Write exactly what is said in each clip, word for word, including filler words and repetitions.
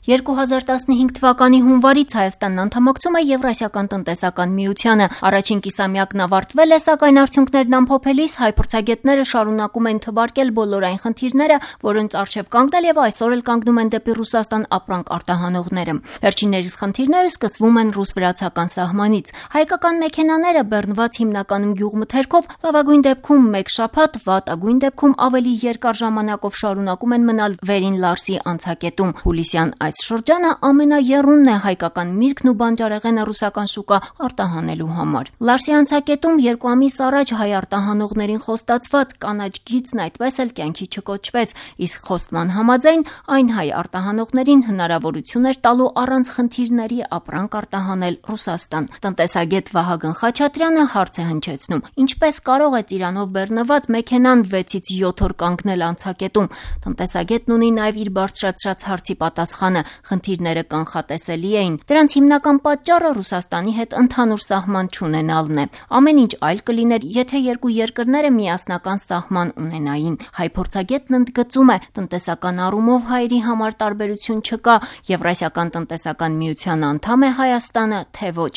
երկու հազար տասնհինգ թվականի հունվարից Հայաստանն անդամակցում է Եվրասիական տնտեսական միությանը։ Առաջին կիսամյակն ավարտվել է, սակայն արդյունքներն ամփոփելիս հայ փորձագետները շարունակում են թվարկել բոլոր այն խնդիրները, որոնց առջև կանգնել եւ այսօր էլ կանգնում են դեպի Ռուսաստան ապրանք արտահանողները։ Վերջիններիս խնդիրները սկսվում են ռուս-վրացական սահմանից։ Հայկական մեքենաները բեռնված հիմնականում գյուղմթերքով, լավագույն դեպքում մեկ շաբաթ, վատագույն դեպքում ավելի երկար ժամանակով շարունակում են մնալ Վերին Լարսի անցակետում։ Հուլիսյան այս շրջանը ամենաեռունն է հայկական միրգն ու բանջարեղենը ռուսական շուկա արտահանելու համար։ Լարսի անցակետում երկու ամիս առաջ հայ արտահանողներին խոստացված կանաչ գիծն այդպես էլ կյանքի չկոչվեց, իսկ խոստման համաձայն այն հայ արտահանողներին հնարավորություն էր տալու առանց խնդիրների ապրանք արտահանել Ռուսաստան։ Տնտեսագետ Վահագն Խաչատրյանը հարց է հնչեցնում. ինչպես կարող է ծիրանով բեռնված մեքենան վեցից յոթ օր կանգնել անցակետում։ Տնտեսագետն ունի նաև իր բարձրացրած հարցի պատասխանը. խնդիրները կանխատեսելի էին։ Դրանց հիմնական պատճառը Ռուսաստանի հետ ընդհանուր սահման չունենալն է։ Ամեն ինչ այլ կլիներ, եթե երկու երկրները միասնական սահման ունենային։ Հայ փորձագետն ընդգծում է, տնտեսական առումով հայերի համար տարբերություն չկա, Եվրասիական տնտեսական միության անդամ է Հայաստանը, թե ոչ։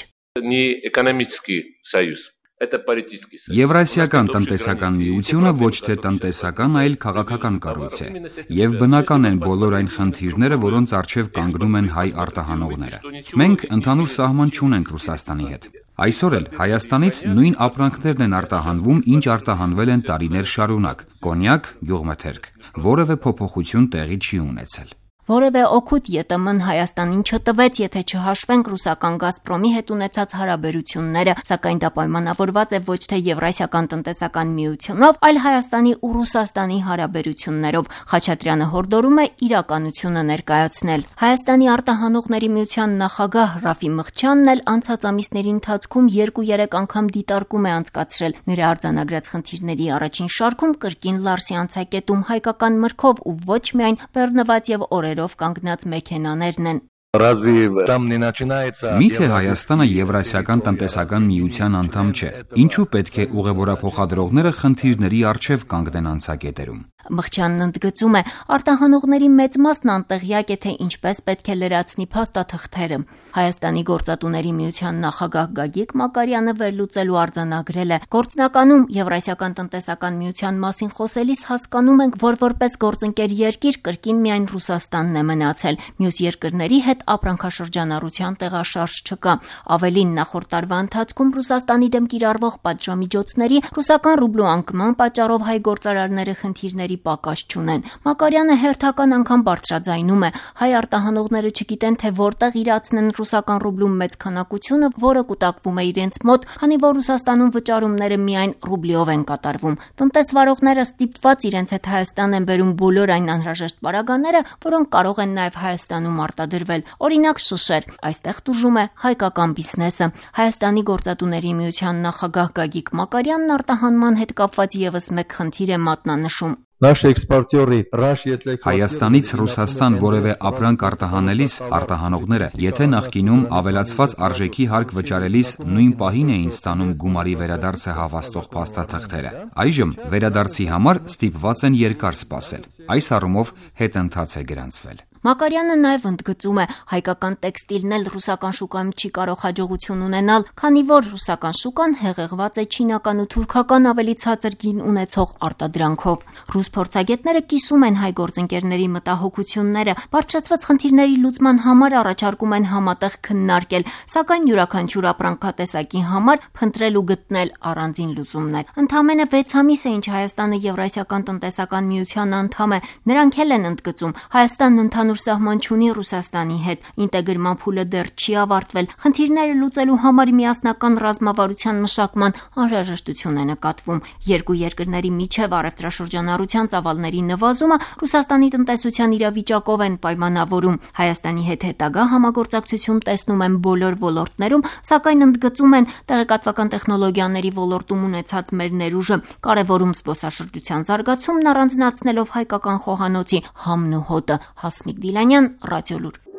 Եվրասիական տնտեսական միությունը ոչ թե տնտեսական, այլ քաղաքական կառույց է, եւ բնական են բոլոր այն խնդիրները, որոնց առջև կանգնում են հայ արտահանողները։ Մենք ընդհանուր սահման չունենք Ռուսաստանի հետ։ Այսօր էլ Հայաստանից նույն ապրանքներն են արտահանվում, ինչ արտահանվել են տարիներ շարունակ՝ կոնյակ, գյուղմթերք։ Որևէ փոփոխություն տեղի չի ունեցել։ Որևէ օգուտ ԵՏՄ-ն Հայաստանին չտվեց, եթե չհաշվենք ռուսական Գազպրոմի հետ ունեցած հարաբերությունները, սակայն դա պայմանավորված է ոչ թե Եվրասիական տնտեսական միությունով, այլ Հայաստանի ու Ռուսաստանի հարաբերություններով։ Խաչատրյանը հորդորում է իրականությունը ներկայացնել։ Հայաստանի արտահանողների միության նախագահ Ռաֆի Մղչյանն էլ անցած ամիսների ընթացքում երկու-երեք անգամ դիտարկում է անցկացրել։ Նրա արձանագրած խնդիրների առաջին շարքում կրկին Լարսի անցակետում հայկական մրգով ու ոչ միայն բեռնված եւ օրերով կանգնած մեքենաներն են։ Միթե Հայաստանը Եվրասիական տնտեսական միության անդամ չէ։ Ինչու պետք է ուղևորափոխադրողները խնդիրների առջև կանգնեն անցակետերում։ Մղչյանն ընդգծում է, արտահանողների մեծ մասն անտեղյակ է, թե ինչպես պետք է լրացնի փաստաթղթերը։ Հայաստանի գործատուների միության նախագահ Գագիկ Մակարյանը վերլուծելու արձանագրել է. գործնականում Եվրասիական տնտեսական միության մասին խոսելիս հասկանում ենք, որ որպես գործընկեր երկիր կրկին միայն Ռուսաստանն է մնացել։ Մյուս երկրների հետ ապրանքաշրջանառության տեղաշարժ չկա։ Ավելին, նախորդ տարվա ընթացքում Ռուսաստանի դեմ կիրառվող պատժամիջոցների, ռուսական ռուբլու անկման պատճառով հայ գործարարները խնդիրների պակաս չունեն։ Մակարյանը հերթական անգամ բարձրաձայնում է, հայ արտահանողները չգիտեն, թե որտեղ իրացնեն ռուսական ռուբլու մեծ քանակությունը, որը կուտակվում է իրենց մոտ, քանի որ Ռուսաստանում վճարումները միայն ռուբլիով են կատարվում։ Տնտեսվարողները ստիպված իրենց հետ Հայաստան են բերում բոլոր այն անհրաժեշտ պարագաները, որոնք կարող են նաև Հայաստանում արտադրվել։ Օրինակ շշեր, այստեղ տուժում է հայկական բիզնեսը։ Հայաստանի գործատուների միության նախագահ Գագիկ Մակարյանն արտահանման հետ կապված եւս մեկ խնդիր է մատնանշում։ Հայաստանից Ռուսաստան որևէ ապրանք արտահանելիս արտահանողները, եթե նախկինում ավելացված արժեքի հարկ վճարելիս նույն պահին էին ստանում գումարի վերադարձը հավաստող փաստաթղթերը, այժմ վերադարձի համար ստիպված են երկար սպասել։ Այս առումով հետընթաց է գրանցվել։ Մակարյանը նաև ընդգծում է, հայկական տեքստիլն էլ ռուսական շուկայում չի կարող հաջողություն ունենալ, քանի որ ռուսական շուկան հեղեղված է չինական ու թուրքական ավելի ցածր գին ունեցող արտադրանքով։ Ռուս փորձագետները կիսում են հայ գործընկերների մտահոգությունները, բարձրացված խնդիրների լուծման համար առաջարկում են համատեղ քննարկել, սակայն յուրաքանչյուր ապրանքատեսակի համար փնտրել ու գտնել առանձին լուծումներ։ Ընդամենը վեց ամիս է, ինչ Հայաստանը Եվրասիական տնտեսական միության անդամ է, նրանք էլ են ընդգծում, Հայաստանն ընդհանուր սահման չունի Ռուսաստանի հետ, ինտեգրման փուլը դեռ չի ավարտվել, խնդիրները լուծելու համար միասնական ռազմավարության մշակման անհրաժեշտություն է նկատվում։ Երկու երկրների միջև առևտրաշրջանառության ծավալների նվազումը Ռուսաստանի տնտեսության իրավիճակով են պայմանավորում։ Հայաստանի հետ հետագա համագործակցություն տեսնում են բոլոր ոլորտներում, սակայն ընդգծում են տեղեկատվական տեխնոլոգիաների ոլորտում ունեցած մեր ներուժը, կարևորում զբոսաշրջության զարգացումն առանձնացնելով հայկական խոհանոցի համն ու հոտը։ Հասմիկ Դիլանյան, Ռադիոլուր։